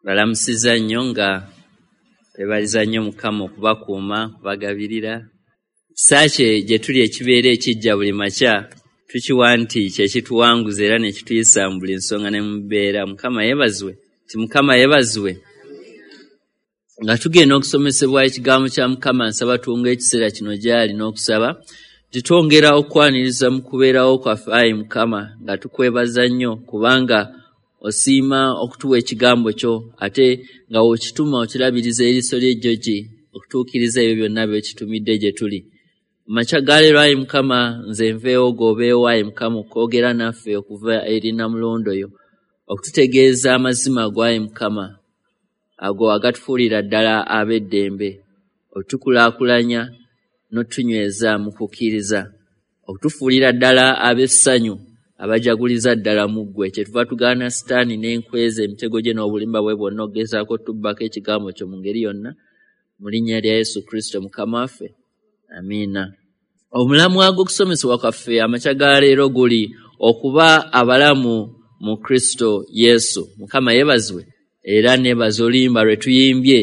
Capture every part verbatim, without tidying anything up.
Balamusiza nnyo nga bebaliza nnyo Mukama okubakuuma, okubagabirira. Ekisa kye gye tuli ekibeera ekijja buli makya tukiwa nti kye kituwanguza era ne kituyisa mu buli nsonga ne mu mbeera. Mukama yeebazibwe, nti Mukama yeebazibwe. Nga tugenda okusomesebwa ekigambo kya Mukama, nsaba tuwonge ekiseera kino gy'ali n'okusaba nti twongera okwaniriza mu kubeerawo kwaffe, ayi Mukama, nga tukwebaza nnyo kubanga osiima okutuwa ekigambo kyo, ate nga w'okituma okirabiriza eriiso ly'ejjogi okutuukiriza ebyo byonna by'okitumidde gye tuli. Amakya ga leero, ayi Mukama, nze nveewo g'obeewo, ayi Mukama, okwogera naffe okuva eri Nnamulondo yo, okututegeeza amazima go, ayi Mukama, ago agatufuulira ddala ab'eddembe, otukulaakulanya n'otunyweza mu kukkiriza, okutufuulira ddala ab'essanyu abajaguliza ddala mu ggwe. Kyetuva tugaana Sitaani n'enkweza emitego gye n'obulimba bwe bwonna okugezaako otubbako ekigambo kyo mu ngeri yonna, mu linnya lya Yesu Kristo Mukama waffe, amiina. Omulamwa gw'okusomesebwa kwaffe amakya ga leero guli okuba abalamu mu Kristo Yesu. Mukama yeebazibwe. Era neebaza oluyimba lwe tuyimbye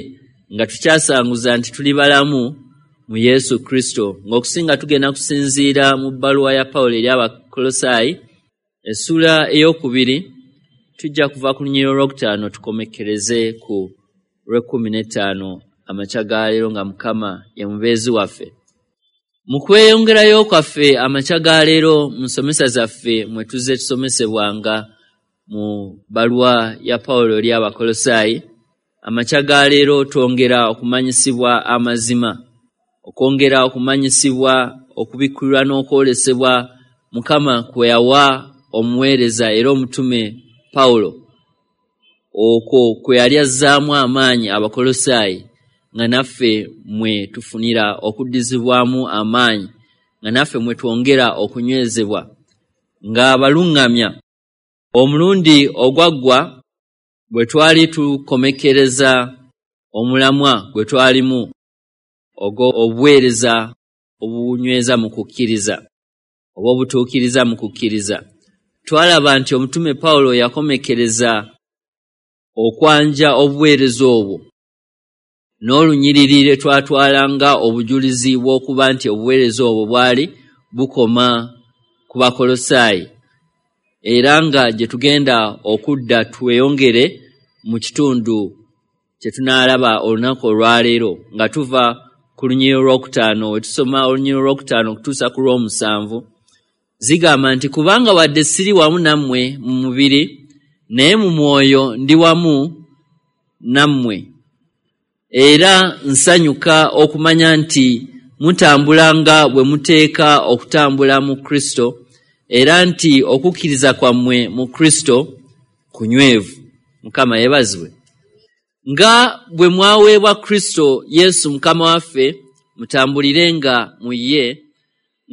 nga tukyasanguza nti tuli balamu mu Yesu Kristo, ng'okusinga tugenda kusinziira mu bbaluwa ya Pawulo eri Abakolosaayi essuula ey'okubiri. Tujja kuva ku lunyiriri olwokutaano tukomekkereze ku lw'ekkumi n'ettaano amakya ga leero, nga Mukama ye mubeezi waffe. Mu kweyongerayo kwaffe amakya ga leero mu nsomesa zaffe mwe tuzze tusomesebwanga mu bbaluwa ya Pawulo eri Abakolosaayi, amakya ga leero twongera okumanyisibwa amazima, okwongera okumanyisibwa okubikkulirwa n'okwolesebwa Mukama kwe yawa omuweereza era omutume Pawulo, okwo kwe yali azzaamu amaanyi Abakolosaayi, nga naffe mwe tufunira okuddizibwamu amaanyi, nga naffe mwe twongera okunywezebwa ng'abaluŋŋamya. Omulundi ogwaggwa bwe twali tukomekkereza omulamwa gwe twalimu ogw'obuweereza obunyweza mu kukkiriza oba obutuukiriza mu kukkiriza, twalaba nti omutume Pawulo yakomekkereza okwanja obuweereza obwo n'olunyiriri lwe twatwala nga obujulizi bw'okuba nti obuweereza obwo bwali bukoma ku Bakolosaayi, era nga gye tugenda okudda tweyongere mu kitundu kye tunaalaba olunaku olwaleero, nga tuva ku lunyiriri olwokutaano we tusoma olunyiriri olwokutaano okutuusa ku lw'omusanvu. Zigamba nti, kubanga wadde siri wamu nammwe mu mubiri, naye mu mwoyo ndi wamu nammwe, era nsanyuka okumanya nti mutambula nga bwe muteeka okutambula mu Kristo, era nti okukkiriza kwammwe mu Kristo kunywevu. Mukama yeebazibwe. Nga bwe mwaweebwa Kristo Yesu Mukama waffe, mutambulirenga mu ye,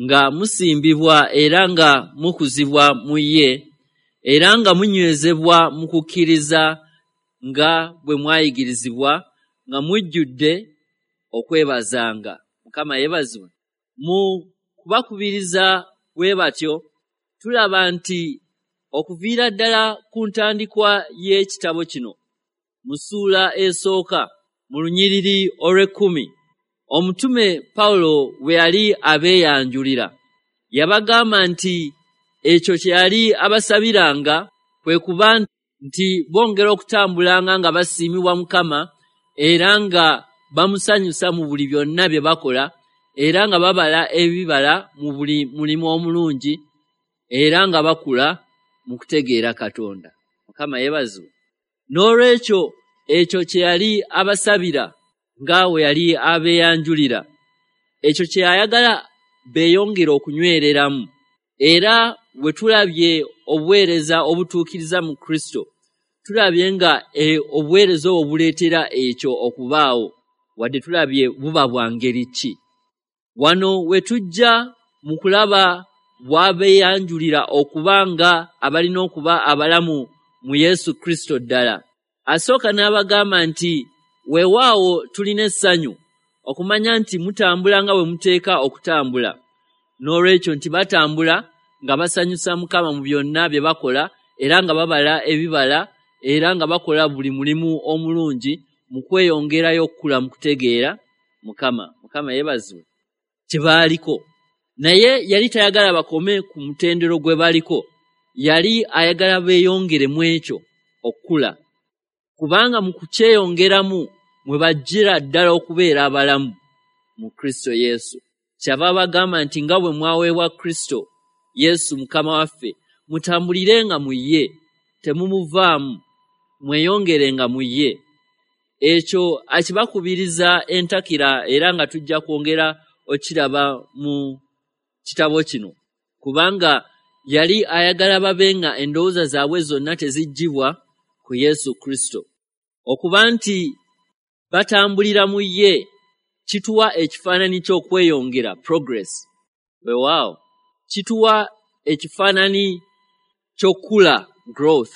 nga musimbibwa era nga mukuzibwa mu ye, era nga munywezebwa mu kukkiriza nga bwe mwayigirizibwa, nga mujjudde okwebazanga. Mukama yeebazibwe. Mu kubakubiriza bwe batyo, tulaba nti okuviira ddala ku ntandikwa y'ekitabo kino, mu ssuula esooka mu lunyiriri olw'ekkumi, omutume Pawulo bwe yali abeeyanjulira, yabagamba nti ekyo kye yali abasabiranga kwe kuba nti bongera okutambulanga nga basiimibwa Mukama, era nga bamusanyusa mu buli byonna bye bakola, era nga babala ebibala mu buli mulimu omulungi, era nga bakula mu kutegeera Katonda. Mukama yeebazibwe. N'olwekyo ekyo kye yali abasabira nga we yali abeeyanjulira, ekyo kye yayagala beeyongere okunywereramu. Era bwe tulabye obuweereza obutuukiriza mu Kristo, tulabye nga e, obuweereza obwo buleetera ekyo okubaawo, wadde tulabye buba bwa ngeri ki. Wano we tujja mu kulaba bw'abeeyanjulira okuba nga abalina okuba abalamu mu Yesu Kristo ddala. Asooka n'abagamba nti weewaawo tulina essanyu okumanya nti mutambula nga bwe muteeka okutambula. N'olwekyo nti batambula nga basanyusa Mukama mu byonna bye bakola, era nga babala ebibala, era nga bakola buli mulimu omulungi mu kweyongerayo okukula mu kutegeera Mukama. Mukama yeebazibwe. Kye baaliko, naye yali tayagala bakome ku mutendero gwe baliko, yali ayagala beeyongere mu ekyo okukula, kubanga mu kukyeyongeramu mwe bajjira ddala okubeera abalamu mu Kristo Yesu. Kyava abagamba nti nga bwe mwaweebwa Kristo Yesu Mukama waffe, mutambulirenga mu ye, temumuvaamu, mweyongerenga mu ye. Ekyo akibakubiriza entakira, era nga tujja kwongera okiraba mu kitabo kino, kubanga yali ayagala babe nga endowooza zaabwe zonna teziggyibwa ku Yesu Kristo. Okuba nti batambulira mu ye kituwa ekifaananyi ky'okweyongera, progress. Weewaawo, kituwa ekifaananyi ky'okukula, growth,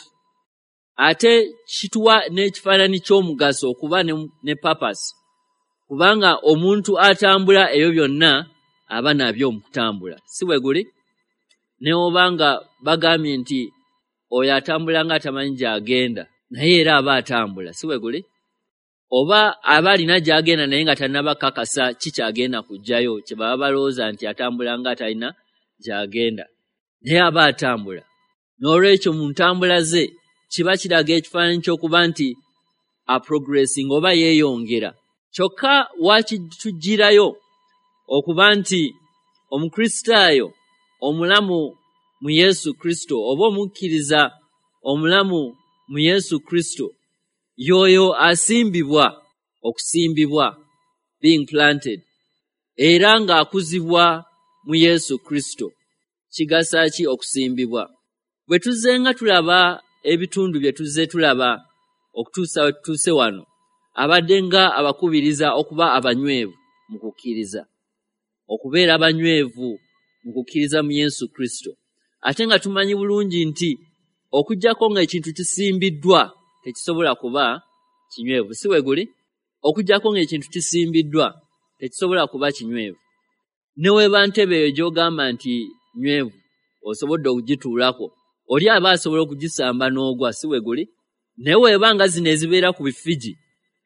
ate kituwa n'ekifaananyi ky'omugaso, okuba ne, ne purpose, kubanga omuntu atambula ebyo byonna aba nabyo mu kutambula, si bwe guli? Ne oba nga bagambye nti oyo atambula nga atamanyi gy'agenda, naye era aba atambula, si bwe guli? Oba aba alina gy'agenda naye nga tannaba kakasa ki ky'agenda kuggyayo, kye baba balowooza nti atambula nga atalina gy'agenda, naye aba atambula. N'olwekyo mu ntambula ze kiba kiraga ekifaananyi ky'okuba nti aprogressinga oba yeeyongera. Kyokka wakituggyirayo okuba nti Omukristaayo omulamu mu Yesu Kristo oba omukkiriza omulamu mu Yesu Kristo y'oyo asimbibwa, okusimbibwa, being planted, era ng'akuzibwa mu Yesu Kristo. Kigasa ki okusimbibwa? Bwe tuzze nga tulaba ebitundu bye tuzze tulaba okutuusa we tutuuse wano, abadde nga abakubiriza okuba abanywevu mu kukkiriza, okubeera abanywevu mu kukkiriza mu Yesu Kristo. Ate nga tumanyi bulungi nti okuggyako ng'ekintu kisimbiddwa tekisobola kuba kinywevu, si bwe guli? Okuggyako ng'ekintu kisimbiddwa tekisobola kuba kinywevu. Ne weeba ntebe eyo gy'ogamba nti nywevu, osobodde okugituulako, oli aba asobola okugisamba n'ogwa, si bwe guli? Naye weeba nga zino ezibeera ku bifigi,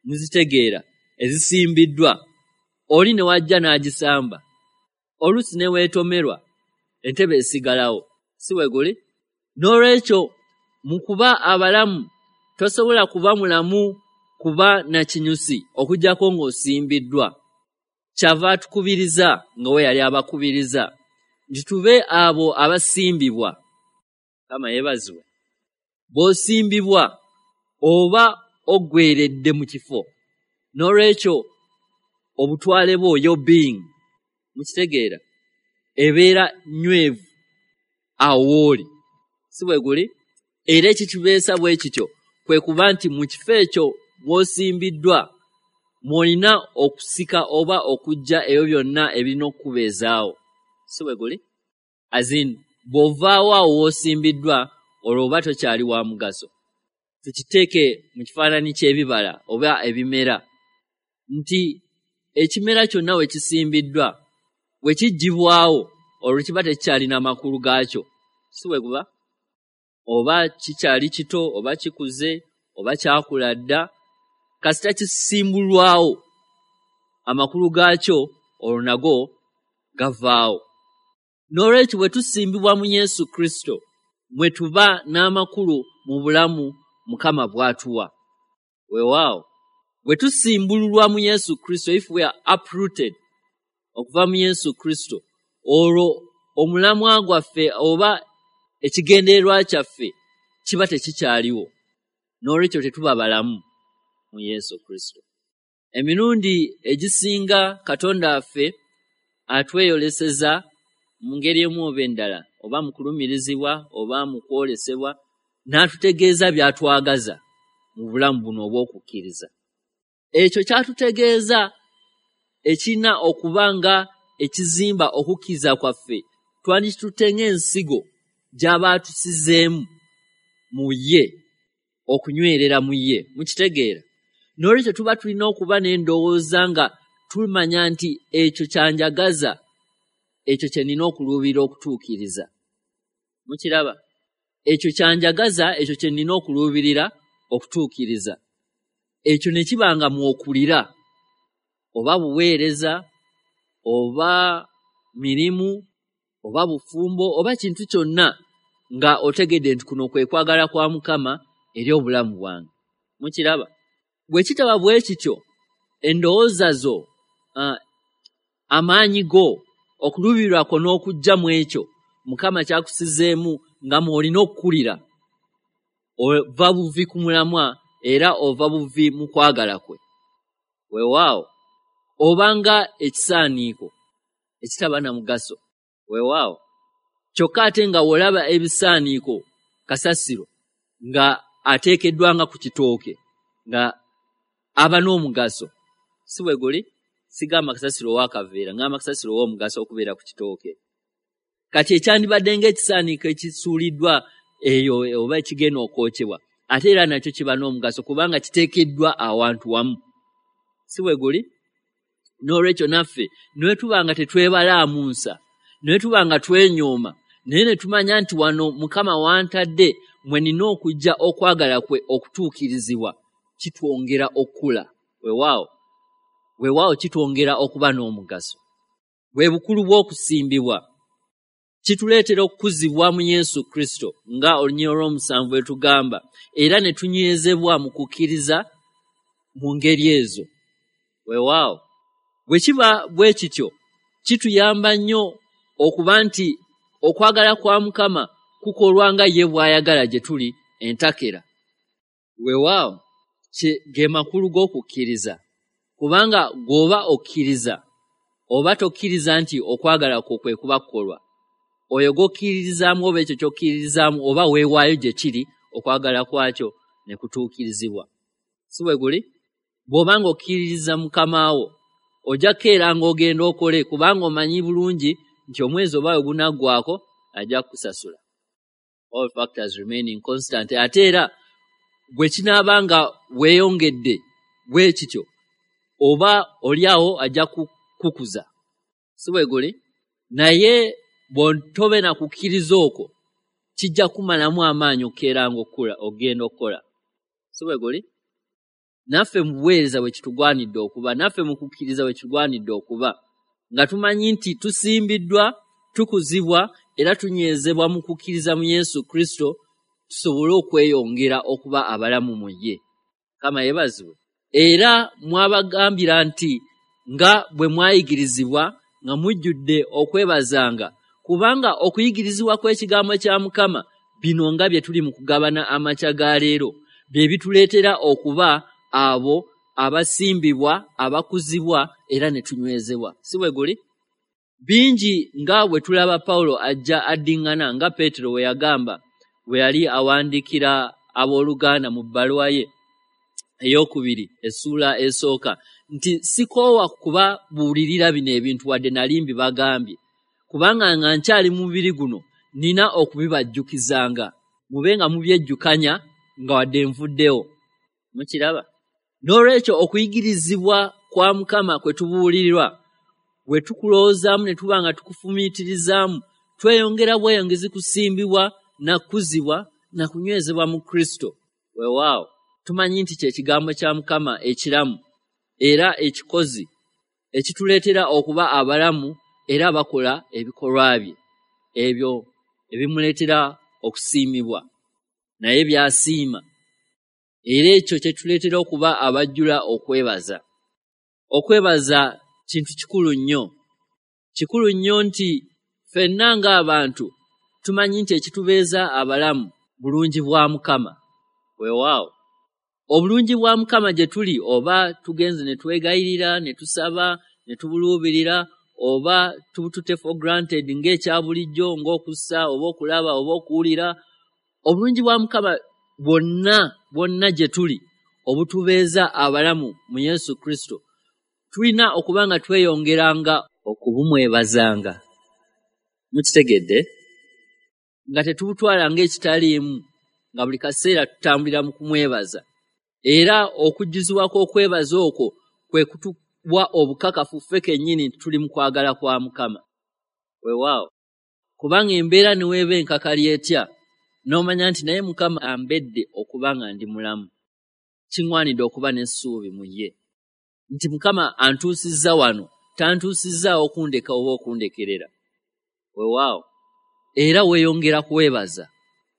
muzitegeera, ezisimbiddwa, oli ne wajja n'agisamba, oluusi ne weetomerwa, entebe esigalawo, si bwe guli? N'olwekyo mu kuba abalamu, tosobola kuba mulamu kuba na kinyusi okuggyako ng'osimbiddwa. Kyava atukubiriza nga we yali abakubiriza nti tube abo abasimbibwa. Mukama yeebazibwe. Bw'osimbibwa oba oggweredde mu kifo, n'olwekyo obutwale bwo, your being, mukitegeera, ebeera nnywevu awo w'oli, si bwe guli? Era ekitubeesa bwe kityo kwe kuba nti mu kifo ekyo mw'osimbiddwa mw'olina okusika oba okuggya ebyo byonna ebirina okukubeezaawo, si bwe guli? As in, bw'ovaawo awo w'osimbiddwa, olwo oba tokyali wa mugaso. Tukiteeke mu kifaananyi ky'ebibala oba ebimera, nti ekimera kyonna we kisimbiddwa, bwe kiggyibwawo olwo kiba tekikyalina makulu gaakyo, si bwe guba? Oba kikyali kito oba kikuze oba kyakula dda, kasita kisimbulwawo amakulu gaakyo olwo nago gavaawo. N'olwekyo bwe tusimbibwa mu Yesu Kristo mwe tuba n'amakulu mu bulamu Mukama bw'atuwa. Weewaawo, bwe tusimbululwa mu Yesu Kristo, if we are uprooted okuva mu Yesu Kristo, olwo omulamwa gwaffe oba ekigendererwa kyaffe kiba tekikyaliwo, n'olwekyo tetuba balamu mu Yesu Kristo. Emirundi egisinga Katonda waffe atweyoleseza mu ngeri emu oba endala, oba mu kulumirizibwa oba mu kwolesebwa, n'atutegeeza by'atwagaza mu bulamu buno obw'okukkiriza. Ekyo ky'atutegeeza ekirina okuba nga ekizimba okukkiriza kwaffe, twandikitutte ng'ensigo gy'aba atusizeemu mu ye, okunywerera mu ye, mukitegeera? N'olwekyo tuba tulina okuba n'endowooza nga tumanya nti ekyo kyanjagaza, ekyo kye nnina okuluubirira okutuukiriza. Mukiraba? Ekyo kyanjagaza, ekyo kye nnina okuluubirira okutuukiriza. Ekyo ne kiba nga mwokulira, oba buweereza, oba mirimu, oba bufumbo, oba kintu kyonna, nga otegedde nti kuno kwe kwagala kwa Mukama eri obulamu bwange. Mukiraba? Bwe kitaba bwe kityo, endowooza zo, uh, amaanyi go, okuluubirwa kwo n'okujja mu ekyo Mukama kyakusizeemu nga mw'olina okukulira, ova buvi ku mulamwa era ova buvi mu kwagala kwe. Weewaawo, obanga ekisaaniiko ekitaba na mugaso. Weewaawo, kyokka ate nga w'olaba ebisaaniiko kasasiro nga ateekeddwa nga ku kitooke nga aba n'omugaso. Si bwe guli? Sigamba kasasiro ow'akaveera, ngamba kasasiro ow'omugaso okubeera ku kitooke. Kati ekyandibadde ng'ekisaaniiko ekisuuliddwa eyo oba ekigenda okwokyebwa, ate era nakyo kiba n'omugaso kubanga kiteekeddwa awantu wamu. Si bwe guli? N'olwekyo naffe ne tuba nga tetwebalaamu nsa, ne tuba nga twenyooma, naye ne tumanya nti wano Mukama wantadde mwe nina okujja okwagala kwe okutuukirizibwa, kitwongera okukula. Weewaawo, weewaawo kitwongera okuba n'omugaso. Bwe bukulu bw'okusimbibwa. Kituleetera okukuzibwa mu Yesu Kristo nga olunyiriri olw'omusanvu bwe tugamba, era ne tunywezebwa mu kukkiriza mu ngeri ezo. Weewaawo, bwe kiba bwe kityo, kituyamba nnyo okuba nti okwagala kwa Mukama kukolwa nga ye bw'ayagala gye tuli entakera. Weewaawo, ge makulu g'okukkiriza, kubanga gw'oba okkiriza oba tokkiriza nti okwagala kwo kwe kuba kukolwa. Oyo gw'okkiririzaamu oba ekyo ky'okkiririzaamu oba weewaayo gye kiri okwagala kwakyo ne kutuukirizibwa. Si bwe guli? Bw'oba ng'okkiririza Mukama wo, ojja kukeera ng'ogenda okole kubanga omanyi bulungi nti omwezi oba we gunaggwaako ajja kukusasula. All factors remaining constant. Ate era bwe kinaaba nga weeyongedde bwe kityo, oba oli awo ajja kukukuza. Si bwe guli? Naye bw'otobe na kukkiriza okwo, kijja kumalamu amaanyi okukeera ng'okula ogenda okukola. Si bwe guli? Naffe mu buweereza bwe kitugwanidde okuba, naffe mu kukkiriza bwe kitugwanidde okuba, nga tumanyi nti tusimbiddwa, tukuzibwa era tunywezebwa mu kukkiriza mu Yesu Kristo, tusobole okweyongera okuba abalamu mu ye. Mukama yeebazibwe. Era mwabagambira nti nga bwe mwayigirizibwa nga mujjudde okwebazanga, kubanga okuyigirizibwa kw'ekigambo kya Mukama bino nga bye tuli mu kugabana amakya ga leero, bye bituleetera okuba abo abasimbibwa, abakuzibwa era ne tunywezebwa. Si bwe guli? Bingi nga bwe tulaba Pawulo ajja addiŋŋana nga Peetero bwe yagamba bwe yali awandiikira abooluganda mu bbaluwa ye ey'okubiri essuula esooka nti sikoowa kubabuulirira bino ebintu wadde nali mbibagambye, kubanga nga nkyali mu mubiri guno nina okubibajjukizanga, mube nga mubyejjukanya nga wadde nvuddewo. Mukiraba? N'olwekyo okuyigirizibwa kwa Mukama kwe tubuulirirwa bwe tukulowoozaamu ne tuba nga tukufumiitirizaamu, tweyongera bweyongezi kusimbibwa na kukuzibwa na kunywezebwa mu Kristo. Weewaawo, tumanyi nti kye kigambo kya Mukama ekiramu era ekikozi ekituleetera okuba abalamu era abakola ebikolwa bye, ebyo ebimuleetera okusiimibwa, naye by'asiima. Era ekyo kye kituleetera okuba abajjula okwebaza. Okwebaza kintu kikulu nnyo. Kikulu nnyo nti ffenna ng'abantu tumanyi nti ekitubeeza abalamu bulungi bwa Mukama. Weewaawo, obulungi bwa Mukama gye tuli, oba tugenze ne twegayirira, ne tusaba, ne tubuluubirira, oba tubutute for granted ng'ekya bulijjo, ng'okussa oba okulaba oba okuwulira, obulungi bwa Mukama bwonna bwonna gye tuli obutubeeza abalamu mu Yesu Kristo, tulina okuba nga tweyongeranga okubumwebazanga. Mukitegedde? Nga tetubutwala ng'ekitaliimu, nga buli kaseera tutambulira mu kumwebaza. Era okujjuzibwa kw'okwebaza okwo kwe kutuwa obukakafu ffe kennyini nti tuli mu kwagala kwa Mukama. Weewaawo, kubanga embeera ne weeba enkakali etya, n'omanya nti naye Mukama ambedde okuba nga ndi mulamu. Kiŋŋwanidde okuba n'essuubi mu ye nti Mukama antuusizza wano, tantuusizzaawo okundeka oba okundekerera. Weewaawo, era weeyongera kwebaza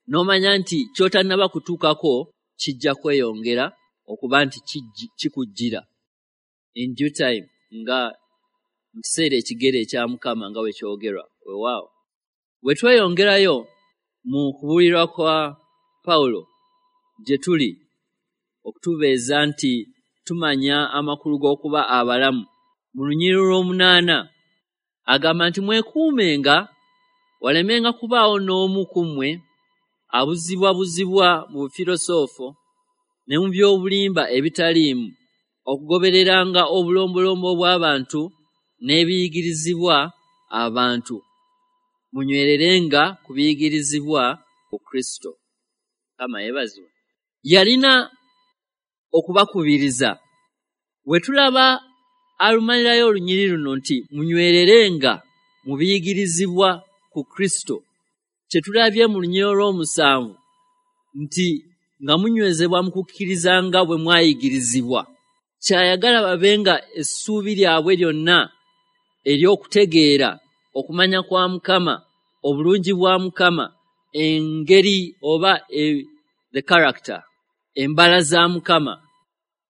n'omanya nti ky'otannaba kutuukako kijja kweyongera okuba nti kikujjira in due time, nga mu kiseera ekigere ekya Mukama nga bwe kyogerwa. Weewaawo, bwe tweyongerayo mu kubuulirwa kwa Pawulo gye tuli okutubeeza nti tumanya amakulu g'okuba abalamu, mu lunyiriri lw'omunaana agamba nti mwekuumenga walemenga kubaawo n'omu ku mmwe abuzibwabuzibwa mu bufirosoofo ne mu by'obulimba ebitaliimu, okugobereranga obulombolombo bw'abantu n'ebiyigirizibwa abantu. Munywererenga ku biyigirizibwa ku Kristo. Mukama yeebazibwe. Yalina okubakubiriza. We tulaba alumalirayo olunyiriri luno nti munywererenga mu biyigirizibwa ku Kristo, kye tulabye mu lunyiriri olw'omusanvu nti nga munywezebwa mu kukkiriza nga bwe mwayigirizibwa. Kyayagala babenga essuubi lyabwe lyonna ery'okutegeera okumanya kwa Mukama, obulungi bwa Mukama, engeri oba e, the character, embala za Mukama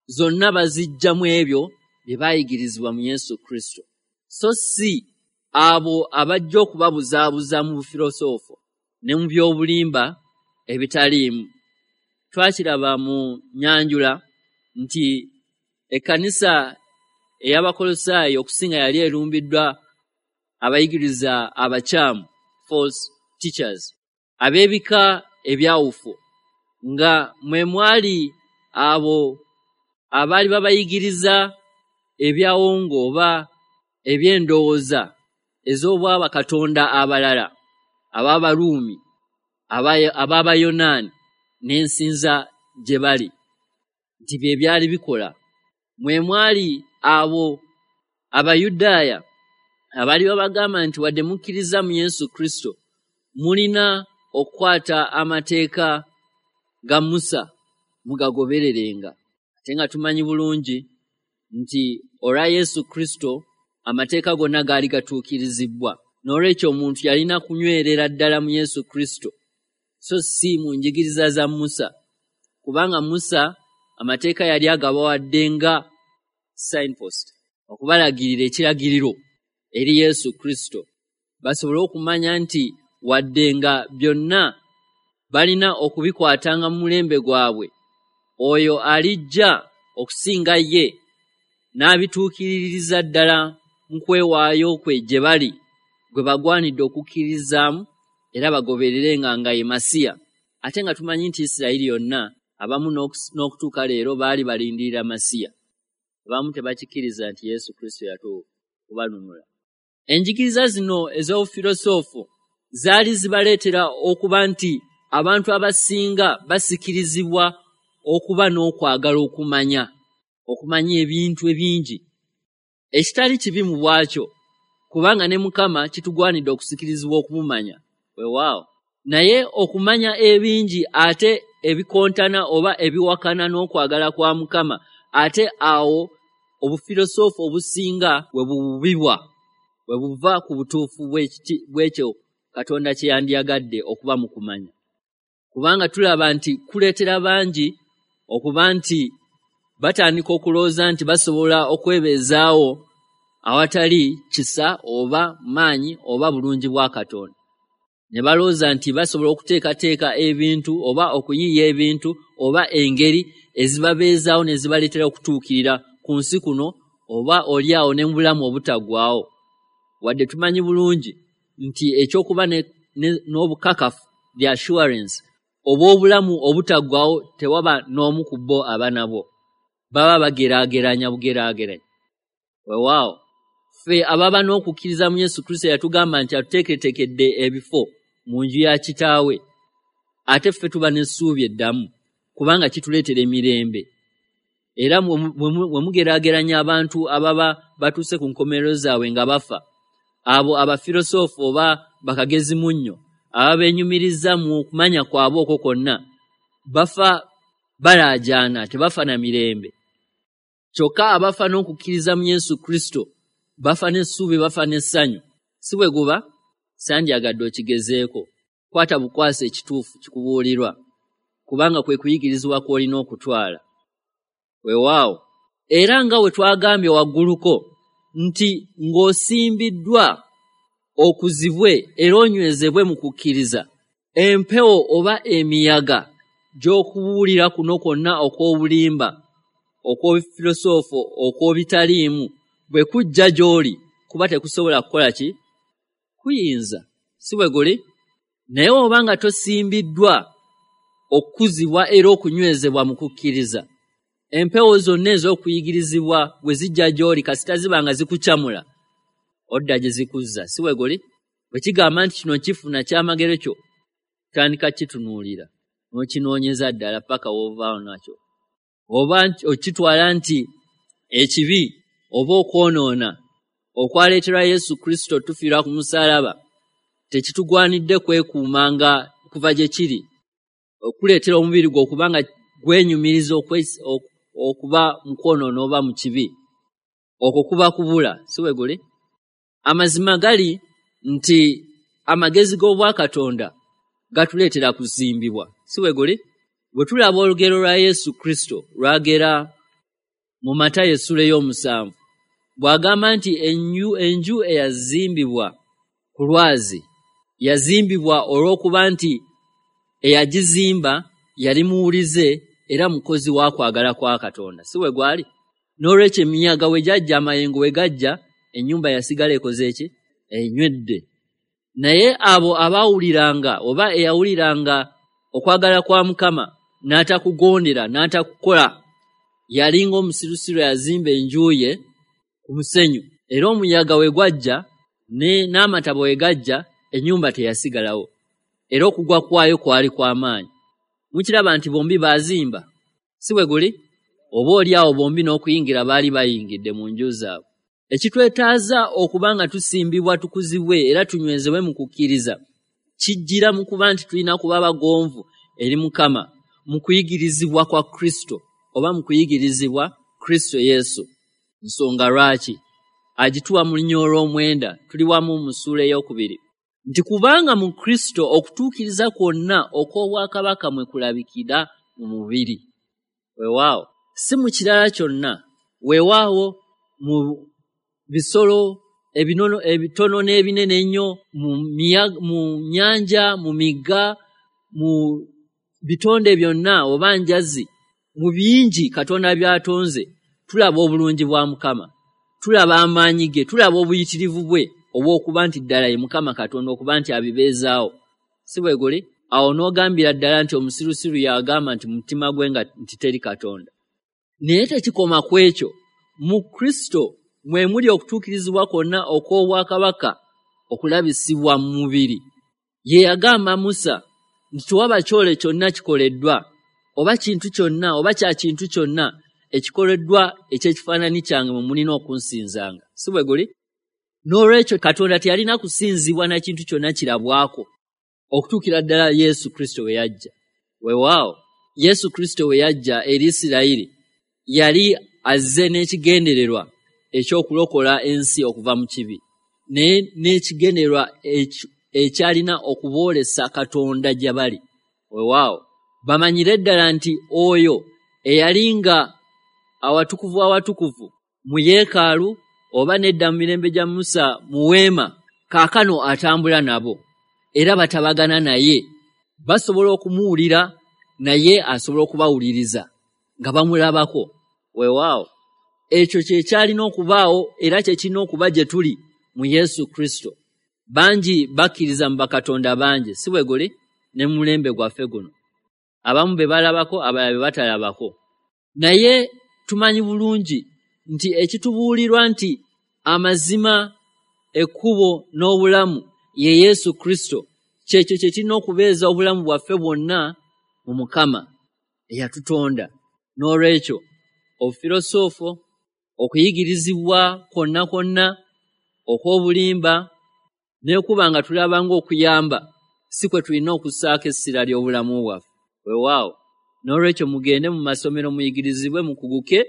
zonna bazijja mu ebyo bye baayigirizibwa mu Yesu Kristo, so si abo abajja okubabuzaabuza mu bufirosoofo ne mu by'obulimba ebitaliimu. Twakiraba mu nyanjula nti ekkanisa ey'Abakolosaayi okusinga yali erumbiddwa abayigiriza abakyamu, false teachers, ab'ebika ebyawufu, nga mwe mwali abo abaali babayigiriza ebyawongo oba eby'endowooza ez'obwabakatonda abalala, ab'Abaruumi, ab'Abayonaani n'ensinza gye bali, nti bye byali bikola. Mwe mwali abo Abayudaaya abaali babagamba nti wadde mukkiriza mu Yesu Kristo, mulina okukwata amateeka ga Musa mugagobererenga. Ate nga tumanyi bulungi nti olwa Yesu Kristo amateeka gonna gaali gatuukirizibwa. N'olwekyo omuntu yalina kunywerera ddala mu Yesu Kristo, so si mu njigiriza za Musa, kubanga Musa amateeka yali agabawadde nga signpost, okubalagirira ekiragiriro eri Yesu Kristo, basobole okumanya nti wadde nga byonna balina okubikwatanga mu mulembe gwabwe, oyo alijja okusinga ye n'abituukiririza ddala mu kwewaayo kwe gye bali, gwe bagwanidde okukkirizaamu era bagobererenga nga ye Masiya. Ate nga tumanyi nti Isirayiri yonna abamu n'okutuuka leero baali balindirira Masiya. Abamu tebakikkiriza nti Yesu Kristo yatuuka kubanunula. Enjigiriza zino ez'obufirosoofo zaali zibaleetera okuba nti abantu abasinga basikirizibwa okuba n'okwagala okumanya, okumanya ebintu ebingi, ekitali kibi mu bwakyo, kubanga ne Mukama kitugwanidde okusikirizibwa okumumanya. Weewaawo, naye okumanya ebingi ate ebikontana oba ebiwakana n'okwagala kwa Mukama, ate awo obufirosoofo obusinga we bububibwa, we buva ku butuufu bw'ekyo Katonda kye yandiyagadde okuba mu kumanya. Kubanga tulaba nti kuleetera bangi okuba nti batandika okulowooza nti basobola okwebeezaawo awatali kisa oba maanyi oba bulungi bwa Katonda. Ne balowooza nti basobola okuteekateeka ebintu oba okuyiiya ebintu oba engeri ezibabeezaawo ne zibaleetera okutuukirira ku nsi kuno oba oli awo ne mu bulamu obutaggwaawo. Wadde tumanyi bulungi nti ekyokuba n'obukakafu, the assurance, obw'obulamu obutaggwaawo tewaba n'omu ku bo aba nabwo. Baba bageraageranya bugeraageranya. Weewaawo, ffe ababa n'okukkiriza mu Yesu Kristo yatugamba nti atuteeketeekedde ebifo mu nju ya Kitaawe, ate ffe tuba n'essuubi eddamu kubanga kituleetera emirembe. Era bwe mugeraageranya abantu ababa batuuse ku nkomerero zaabwe nga bafa, abo abafirosoofo oba bakagezimunnyo ababeenyumiriza mu kumanya kwabwe okwo kwonna, bafa Balaajaana, tebafa na mirembe. Kyokka abafa n'okukkiriza mu Yesu Kristo bafa n'essuubi, bafa n'essanyu. Si bwe guba? Sandyagadde okigezeeko. Kwata bukwasi ekituufu kikubuulirwa, kubanga kwe kuyigirizibwa kw'olina okutwala. Weewaawo, era nga we twagambye wagguluko nti ng'osimbiddwa okuzibwe era onywezebwe mu kukkiriza, empewo oba emiyaga gy'okubuulira kuno kwonna okw'obulimba, okw'obufirosoofo, okw'obitaliimu bwe kujja gy'oli, kuba tekusobola kukola ki? Kuyinza. Si bwe guli? Naye oba nga tosimbiddwa okukuzibwa era okunywezebwa mu kukkiriza, empewo zonna ez'okuyigirizibwa bwe zijja gy'oli, kasita ziba nga zikukyamula, odda gye zikuzza. Si bwe guli? Bwe kigamba nti kino kifuna kyamagero kyo, tandika kitunuulira n'okinoonyeza ddala paka w'ovaawo nakyo. Oba okitwala nti ekibi oba okwonoona okwaleetera Yesu Kristo tufiira ku musaalaba tekitugwanidde kwekuumanga kuva gye kiri, okuleetera omubiri gwo okuba nga gwenyumiriza okuba mu kwonoona oba mu kibi, okwo kuba kubula. Si bwe guli? Amazima gali nti amagezi g'obwakatonda gatuleetera kuzimbibwa. Si bwe guli? Bwe tulaba olugero lwa Yesu Kristo lwagera mu Matayo essula ey'omusanvu, bw'agamba nti enju enju eyazimbibwa ku lwazi yazimbibwa olw'okuba nti eyagizimba yali muwulize era mukozi wa kwagala kwa Katonda. Si bwe gwali? N'olwekyo emiyaga we gyajja, amayengo we gajja, ennyumba yasigala ekoze ki? Enywedde. Naye abo abaawuliranga oba eyawuliranga okwagala kwa Mukama n'atakugondera n'atakukola, yalinga omusirusiru yazimba enju ye ku musenyu, era omuyaga we gwajja n'amataba we gajja, ennyumba teyasigalawo, era okugwa kwayo kwali kwa maanyi. Mukiraba nti bombi baazimba. Si bwe guli? Oba oli awo bombi n'okuyingira baali bayingidde mu nju zaabwe. Ekitwetaaza okuba nga tusimbibwa, tukuzibwe era tunywezebwe mu kukkiriza kijjira mu kuba nti tulina kuba bagonvu eri Mukama mu kuyigirizibwa kwa Kristo oba mu kuyigirizibwa Kristo Yesu. Nsonga lwaki agituwa mu lunya olw'omwenda, tuli wamu mu ssuula ey'okubiri, nti kubanga mu Kristo okutuukiriza kwonna okw'obwakabaka mwe kulabikira mu mubiri. Weewaawo, si mu kirala kyonna. Weewaawo mu bisolo ebinono ebitono n'ebinene ennyo, mu mu nnyanja, mu migga, mu bitonde byonna oba njazi, mu bingi Katonda by'atonze, tulaba obulungi bwa Mukama, tulaba amaanyi ge, tulaba obuyitirivu bwe obw'okuba nti ddala ye Mukama Katonda, okuba nti abibeezaawo. Si bwe guli? Awo n'ogambira ddala nti omusirusiru yagamba nti mutima gwe nga nti teri Katonda. Naye tekikoma ku ekyo. Mu Kristo mwe muli okutuukirizibwa kwonna okw'obwakabaka okulabisibwa mu mubiri. Ye yagamba Musa nti tewaba kyole kyonna kikoleddwa oba kintu kyonna oba kya kintu kyonna ekikoleddwa eky'ekifaananyi kyange mwe mulina okunsinzanga. Si bwe guli? N'olwekyo Katonda teyalina kusinzibwa na kintu kyonna kirabwako okutuukira ddala Yesu Kristo we yajja. Weewaawo, Yesu Kristo we yajja eri Isirayiri yali azze n'ekigendererwa eky'okulokola ensi okuva mu kibi, naye n'ekigendererwa ekyalina okuboolesa Katonda gye bali. Weewaawo, bamanyire ddala nti oyo eyali nga awatukuvu awatukuvu mu yeekaalu oba nedda mu mirembe gya Musa mu weema, kaakano atambula nabo era batabagana naye, basobola okumuwulira naye asobola okubawuliriza nga bamulabako. Weewaawo, ekyo kye kyalina okubaawo era kye kirina okuba gye tuli mu Yesu Kristo. Bangi bakkiriza mu bakatonda bangi, si bwe guli? Ne mu mulembe gwaffe guno abamu be balabako, abalala be batalabako. Naye tumanyi bulungi nti ekitubuulirwa nti amazima, ekkubo n'obulamu ye Yesu Kristo, kyekyo kye kirina okubeeza obulamu bwaffe bwonna mu Mukama eyatutonda. N'olwekyo obufirosoofo, okuyigirizibwa kwonna kwonna okw'obulimba n'ekuba nga tulaba ng'okuyamba si kwe tulina okussaako essira ly'obulamu bwaffe. Weewaawo, N'olwekyo mugende mu masomero muyigirizibwe, mukuguke,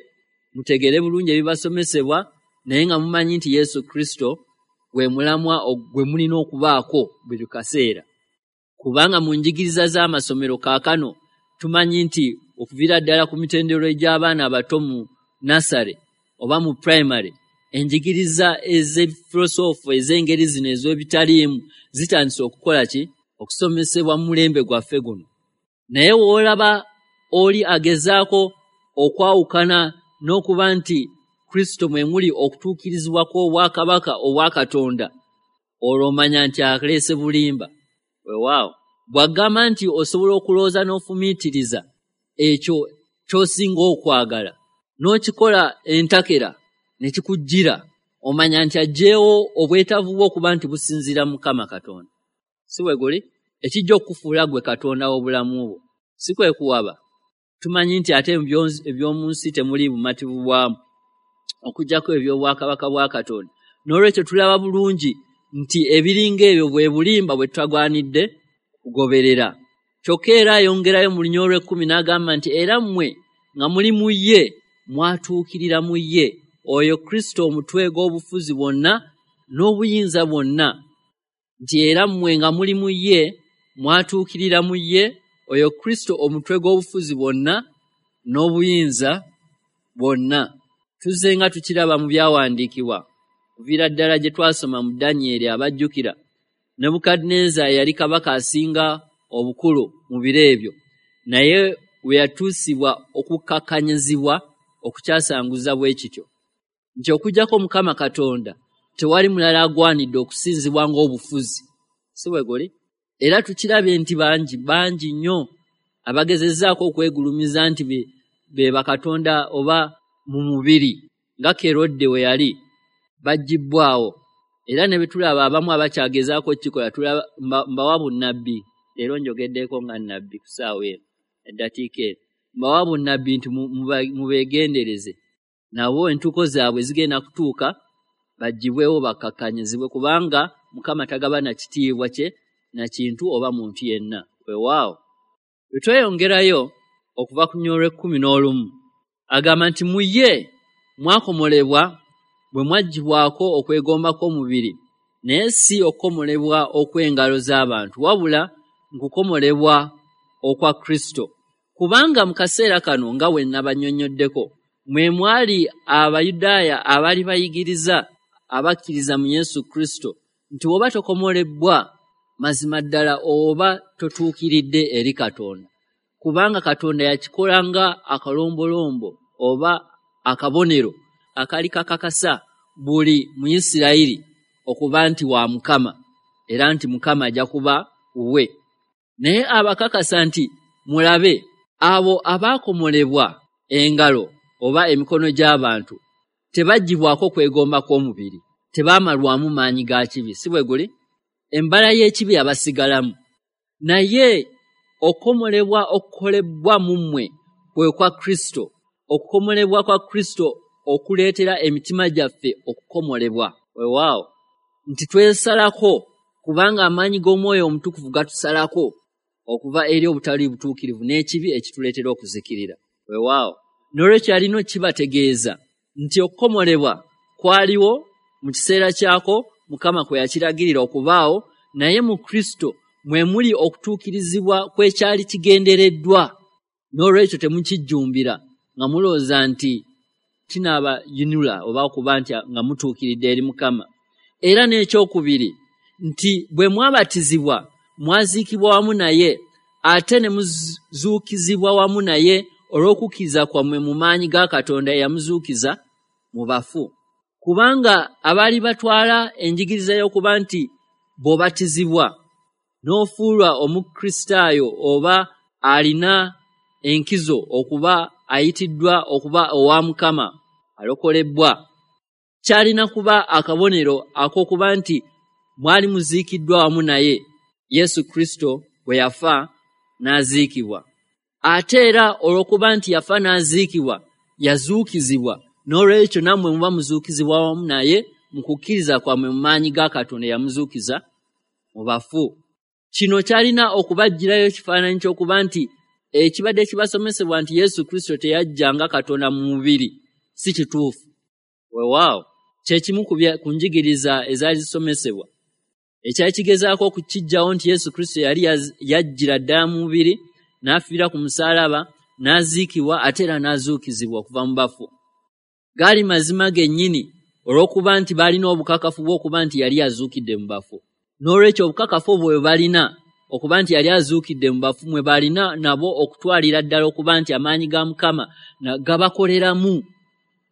mutegere bulungi ebibasomesebwa, naye nga mumanyi nti Yesu Kristo gwe mulamwa gwe mulina okubaako buli kaseera. Kubanga mu njigiriza z'amasomero kaakano tumanyi nti okuviira ddala ku mitendero egy'abaana abato mu nursery oba mu primary, enjigiriza ez'efilosoofo ez'engeri zino ez'ebitaliimu zitandise okukola ki? Okusomesebwa mu mulembe gwaffe guno. Naye w'olaba oli agezaako okwawukana n'okuba nti Kristo mwe muli okutuukirizibwa kw'obwakabaka obwa Katonda, olwo omanya nti aleese bulimba. Weewaawo, bw'agamba nti osobola okulowooza n'ofumiitiriza ekyo ky'osinga okwagala n'okikola entakera ne kikujjira, omanya nti aggyeewo obwetaavu bwo okuba nti businziira Mukama Katonda. Si bwe guli? Ekijja okukufuula ggwe Katonda w'obulamu bwo, si kwe kuwaba. Tumanyi nti ate eby'omu nsi temuli bumativu bwamu okuggyako eby'obwakabaka bwa Katonda. N'olwekyo tulaba bulungi nti ebiringa ebyo bwe bulimba bwe tutagwanidde kugoberera. Kyokka era ayongerayo mu lunya olw'ekkumi n'agamba nti era mmwe nga muli mu ye mwatuukirira mu ye, oyo Kristo omutwe gw'obufuzi bwonna n'obuyinza bwonna. Nti era mmwe nga muli mu ye mwatuukirira mu ye, oyo Kristo omutwe gw'obufuzi bwonna n'obuyinza bwonna. Tuzze nga tukiraba mu byawandiikibwa kuviira ddala gye twasoma mu Danyeri abajjukira. Nebukadduneeza yali kabaka asinga obukulu mu biro ebyo, naye we yatuusibwa okukakkanyizibwa okukyasanguza bwe kityo nti okuggyako Mukama Katonda tewali mulala agwanidde okusinzibwa ng'obufuzi. Si bwe guli? Era tukirabye nti bangi bangi nnyo abagezezzaako okwegulumiza nti be, be bakatonda oba mu mubiri nga Kerode we yali, baggyibwawo. Era ne bwe tulaba abamu abakyagezaako okukikola, tulaba mbawa bunnabbi. Leero njogeddeko nga nnabbi ku ssaawa eno, eddakiika eno. Mbawa bunnabbi nti mubeegendereze, nabo entuuko zaabwe zigenda kutuuka baggyibwewo bakkakkanyizibwe, kubanga Mukama tagabana kitiibwa kye na kintu oba muntu yenna. Weewaawo. Bwe tweyongerayo okuva ku nnya olw'ekkumi n'olumu, agamba nti mu ye mwakomolebwa bwe mwaggyibwako okwegomba kw'omubiri, naye si okukomolebwa okw'engalo z'abantu, wabula nkukomolebwa okwa Kristo. Kubanga mu kaseera kano nga bwe nnabannyonnyoddeko, mwe mwali Abayudaaya abaali bayigiriza abakkiriza mu Yesu Kristo nti bw'oba tokomolebwa mazima ddala oba totuukiridde eri Katonda, kubanga Katonda yakikola nga akalombolombo oba akabonero akali kakakasa buli Muyisirayiri okuba nti wa Mukama, era nti Mukama ajja kuba wuwe. Naye abakakasa nti mulabe, abo abaakomolebwa engalo oba emikono gy'abantu tebaggyibwako kwegomba kw'omubiri, tebaamalwamu maanyi ga kibi. Si bwe guli? Embala y'ekibi abasigalamu. Naye okukomolebwa okukolebwa mu mmwe kwe kwa Kristo, okukomolebwa kwa Kristo okuleetera emitima gyaffe okukomolebwa. Weewaawo, nti twesalako, kubanga amaanyi g'Omwoyo Omutukuvu gatusalako okuva eri obutali butuukirivu n'ekibi ekituleetera okuzikirira. Weewaawo, n'olwekyo alina okukibategeeza nti okukomolebwa kwaliwo mu kiseera kyako Mukama kwe yakiragirira okubaawo, naye mu Kristo mwe muli okutuukirizibwa kw'ekyali kigendereddwa. N'olwekyo temukijjumbira nga mulowooza nti kinaabayinula oba okuba nti nga mutuukiridde eri Mukama. Era n'ekyokubiri nti bwe mwabatizibwa mwaziikibwa wamu naye, ate ne muzuukizibwa wamu naye olw'okukkiriza kwammwe mu maanyi ga Katonda eyamuzuukiza mu bafu. Kubanga abaali batwala enjigiriza y'okuba nti bw'obatizibwa n'ofuulwa Omukristaayo oba alina enkizo okuba ayitiddwa okuba owa Mukama alokolebbwa, kyalina kuba akabonero ak'okuba nti mwali muziikiddwa wamu naye Yesu Kristo bwe yafa n'aziikibwa. Ate era olw'okuba nti yafa n'aziikibwa, yazuukizibwa. N'olwekyo nammwe muba muzuukizibwa wamu naye mu kukkiriza kwammwe mu maanyi ga Katonda eyamuzuukiza mu bafu. Kino kyalina okubaggyirayo ekifaananyi ky'okuba nti Ekibadde kibasomesebwa nti Yesu Kristo teyajja nga Katonda mu mubiri si kituufu. Weewaawo, kye kimu ku njigiriza ezaali zisomesebwa. Ekyali kigezaako okukiggyawo nti Yesu Kristo yali yajjira ddala mu mubiri, n'afiira ku musaalaba, n'aziikibwa ate era n'azuukizibwa okuva mu bafu. Gaali mazima gennyini olw'okuba nti baalina obukakafu bw'okuba nti yali azuukidde mu bafu. N'olwekyo obukakafu obwo bwe balina okuba nti yali azuukidde mu bafu, mwe balina nabo okutwalira ddala okuba nti amaanyi ga Mukama gabakoleramu.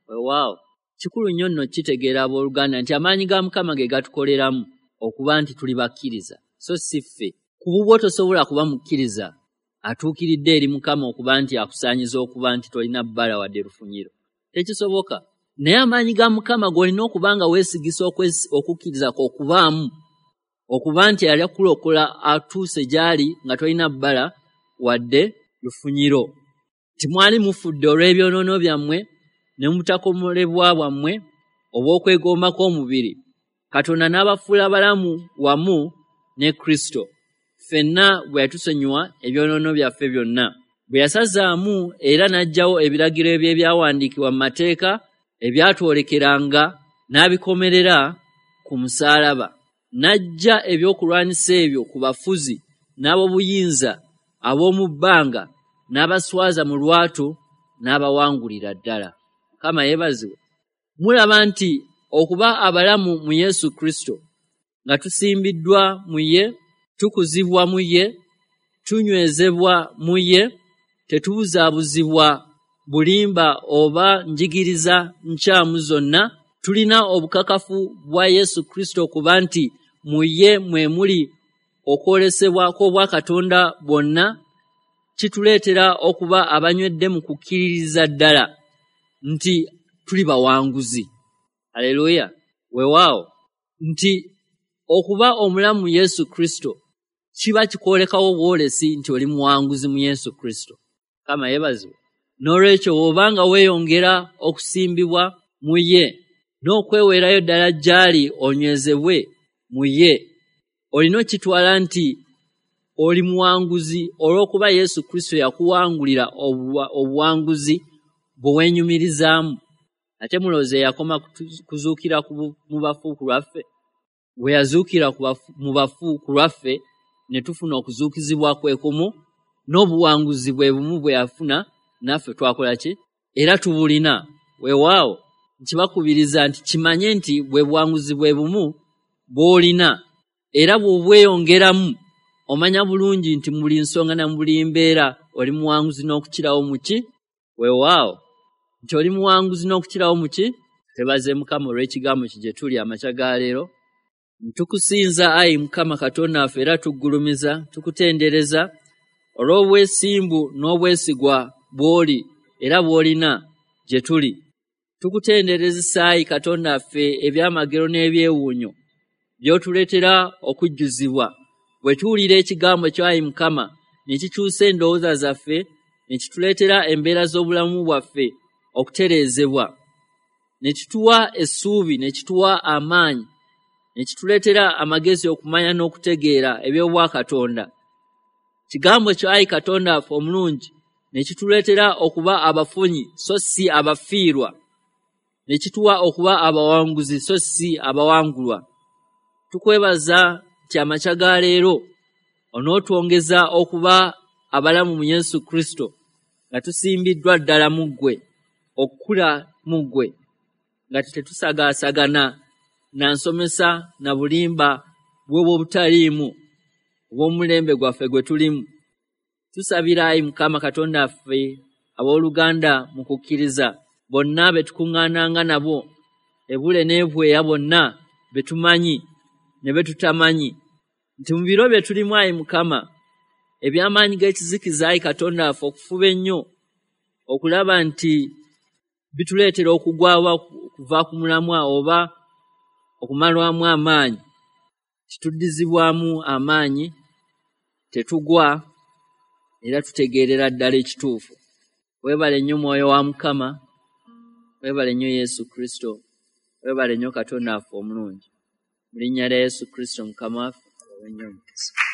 Weewaawo, kikulu nnyo nno kitegeera abooluganda nti amaanyi ga Mukama ge gatukoleramu okuba nti tuli bakkiriza, so si ffe. Ku bubwo tosobola kuba mukkiriza atuukiridde eri Mukama okuba nti akusaanyiza okuba nti tolina bbala wadde lufunyiro. Tekisoboka. Naye amaanyi ga Mukama g'olina okuba nga weesigisa okukkiriza kwo okubaamu, okuba nti yali akulokola atuuse gy'ali nga tolina bbala wadde lufunyiro. Timwali mufudde olw'ebyonoono byammwe ne mu butakomolebwa bwammwe obw'okwegomba kw'omubiri. Katonda n'abafuula balamu wamu ne Kristo. Ffenna bwe yatusonyiwa ebyonoono byaffe byonna. Bwe yasazaamu era n'aggyawo ebiragiro eby'ebyawandiikibwa mu mateeka ebyatwolekeranga n'abikomerera ku musaalaba. N'aggya ebyokulwanyisa ebyo ku bafuzi n'ab'obuyinza ab'omu bbanga, n'abaswaza mu lwatu n'abawangulira ddala. Mukama yeebazibwe. Mulaba nti okuba abalamu mu Yesu Kristo, nga tusimbiddwa mu ye, tukuzibwa mu ye, tunywezebwa mu ye, tetubuzaabuzibwa bulimba oba njigiriza nkyamu zonna. Tulina obukakafu bwa Yesu Kristo okuba nti mu ye mwe muli okwolesebwa kw'obwakatonda bwonna. Kituleetera okuba abanywedde mu kukkiririza ddala nti tuli bawanguzi. Haleluya. Weewaawo, nti okuba omulamu mu Yesu Kristo kiba kikwolekawo bwolesi nti oli muwanguzi mu Yesu Kristo. Mukama yeebazibwe. N'olwekyo bw'obanga weeyongera okusimbibwa mu ye n'okweweerayo ddala gy'ali onywezebwe mu ye, olina okitwala nti oli muwanguzi olw'okuba Yesu Kristo yakuwangulira obuwanguzi bwe weenyumirizaamu. Ate mulowooza yakoma kuzuukira mu bafu ku lwaffe? Bwe yazuukira mu bafu ku lwaffe ne tufuna okuzuukizibwa kwe kumu n'obuwanguzi bwe bumu bwe yafuna, naffe twakola ki? Era tubulina. Weewaawo, nkibakubiriza nti kimanye nti bwe buwanguzi bwe bumu bw'olina, era bw'obweyongeramu omanya bulungi nti mu buli nsonga na mu buli mbeera oli muwanguzi n'okukirawo mu ki? Weewaawo, nti oli muwanguzi n'okukirawo mu ki? Twebaze Mukama olw'ekigambo kye gye tuli amakya ga leero. Tukusinza ayi Mukama Katonda waffe era tuggulumiza, tukutendereza olw'obwesimbu n'obwesigwa bw'oli era bw'olina gye tuli. Tukutenderezesa ayi Katonda waffe ebyamagero n'ebyewuunyo by'otuleetera okujjuzibwa. Bwe tuwulira ekigambo kyo ayi Mukama, ne kikyusa endowooza zaffe, ne kituleetera embeera z'obulamu bwaffe okutereezebwa, ne kituwa essuubi, ne kituwa amaanyi, ne kituleetera amagezi okumanya n'okutegeera eby'obwakatonda. Kigambo kyo ayi Katonda waffe omulungi ne kituleetera okuba abafunyi so si abafiirwa, ne kituwa okuba abawanguzi so si abawangulwa. Tukwebaza nti amakya ga leero onootwongeza okuba abalamu mu Yesu Kristo, nga tusimbiddwa ddala mu ggwe, okukula mu ggwe, nga tetusagaasagana na nsomesa na bulimba bw'obutaliimu obw'omulembe gwaffe gwe tulimu. Tusabira ayi Mukama Katonda waffe abooluganda mu kukkiriza bonna be tukuŋŋaananga nabo, ebule n'ebweya bonna be tumanyi ne be tutamanyi, nti mu biro bye tulimu ayi Mukama, eby'amaanyi g'ekizikiza ayi Katonda waffe okufuba ennyo okulaba nti bituleetera okugwa okuva ku mulamwa oba okumalwamu amaanyi, kituddizibwamu amaanyi, tetugwa era tutegeerera ddala ekituufu. Weebale nnyo Mwoyo wa Mukama, weebale nnyo Yesu Kristo, weebale nnyo Katonda waffe omulungi. Mu linnya lya Yesu Kristo Mukama waffe, abawe nnyo omukisa.